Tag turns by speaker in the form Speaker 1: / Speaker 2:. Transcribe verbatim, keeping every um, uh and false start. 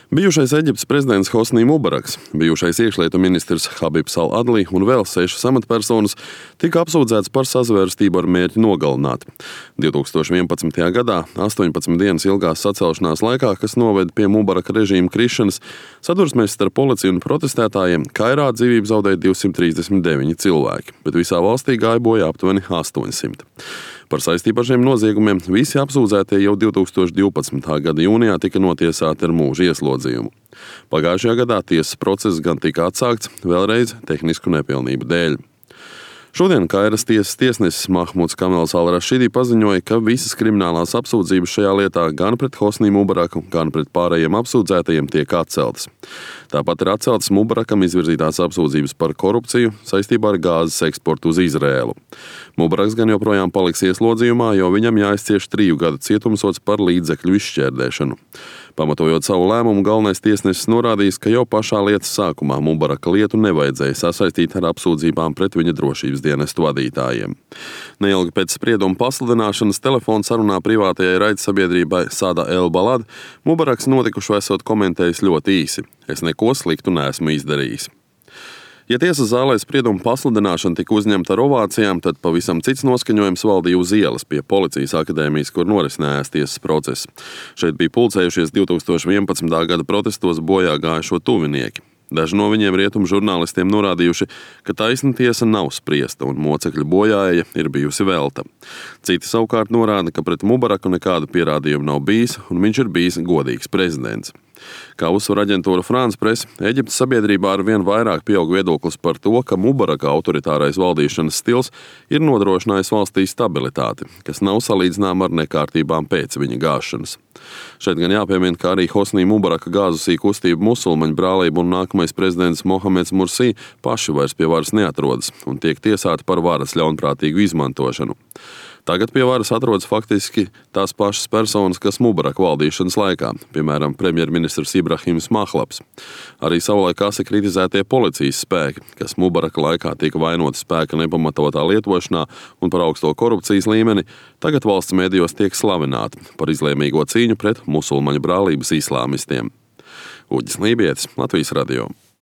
Speaker 1: Bijušais Eģiptes prezidents Hosnī Mubaraks, bijušais iekšlietu ministrs Habibs al-Adli un vēl sešas amatpersonas tika apsūdzēts par sazvērstību ar mērķi nogalināt. divtūkstoš vienpadsmitajā gadā, astoņpadsmit dienas ilgās sacelšanās laikā, kas noveda pie Mubaraka režīma krišanas, sadursmēs starp policiju un protestētājiem Kairā dzīvību zaudēja divsimt trīsdesmit deviņi cilvēki, bet visā valstī gāja bojā aptuveni astoņsimt. Par saistību ar šiem noziegumiem visi apsūdzētie jau divtūkstoš divpadsmitā gada jūnijā tika notiesāti ar mūža ieslodzījumu. Pagājušajā gadā tiesas process gan tika atsākts, vēlreiz tehnisku nepilnību dēļ. Šodien Kairas tiesas tiesnesis Mahmuds Kamels al-Rašidi paziņoja, ka visas kriminālās apsūdzības šajā lietā gan pret Hosnī Mubaraku, gan pret pārējiem apsūdzētajiem tiek atceltas. Tāpat ir atceltas Mubarakam izvirzītās apsūdzības par korupciju saistībā ar gāzes eksportu uz Izrēlu. Mubaraks gan joprojām paliks ieslodzījumā, jo viņam jāizcieš triju gadu cietumsods par līdzekļu izšķērdēšanu. Pamatojot savu lēmumu, galvenais tiesnesis norādījis, ka jau pašā lietas sākumā Mubaraka lietu nevajadzēja sasaistīt ar apsūdzībām pret viņa drošības dienestu vadītājiem. Neilgi pēc sprieduma pasludināšanas telefona sarunā privātajai raidsabiedrībai Sada El Balad Mubaraks notikušo esot komentējis ļoti īsi: "Es neko sliktu neesmu izdarījis." Ja tiesas zālē sprieduma pasludināšana tika uzņemta ar ovācijām, tad pavisam cits noskaņojums valdīja uz ielas pie Policijas akadēmijas, kur norisinājās tiesas process. Šeit bija pulcējušies divtūkstoš vienpadsmitā gada protestos bojā gājušo tuvinieki. Daži no viņiem rietumu žurnālistiem norādījuši, ka taisna tiesa nav spriesta un mocekļu bojāēja ir bijusi velta. Citi savukārt norāda, ka pret Mubaraku nekādu pierādījumu nav bijis un viņš ir bijis godīgs prezidents. Kā uzsver aģentūra France Press, Eģiptes sabiedrībā ar vien vairāk pieaug viedoklis par to, ka Mubaraka autoritārais valdīšanas stils ir nodrošinājis valstī stabilitāti, kas nav salīdzināma ar nekārtībām pēc viņa gāšanas. Šeit gan jāpiemina, ka arī Hosnī Mubaraka gāzusī kustība Musulmaņu brālība un nākamais prezidents Mohameds Mursī paši vairs pie varas neatrodas un tiek tiesāti par varas ļaunprātīgu izmantošanu. Tagad pie varas atrodas faktiski tās pašas personas, kas Mubaraka valdīšanas laikā, piemēram, premjerministrs Ibrahims Mahlabs. Arī savulaik asi kritizētie policijas spēki, kas Mubaraka laikā tika vainoti spēka nepamatotā lietošanā un par augsto korupcijas līmeni, tagad valsts mēdījos tiek slavināti par izlēmīgo cīņu pret musulmaņu brālības islāmistiem. Uģis Lībietis, Latvijas radio.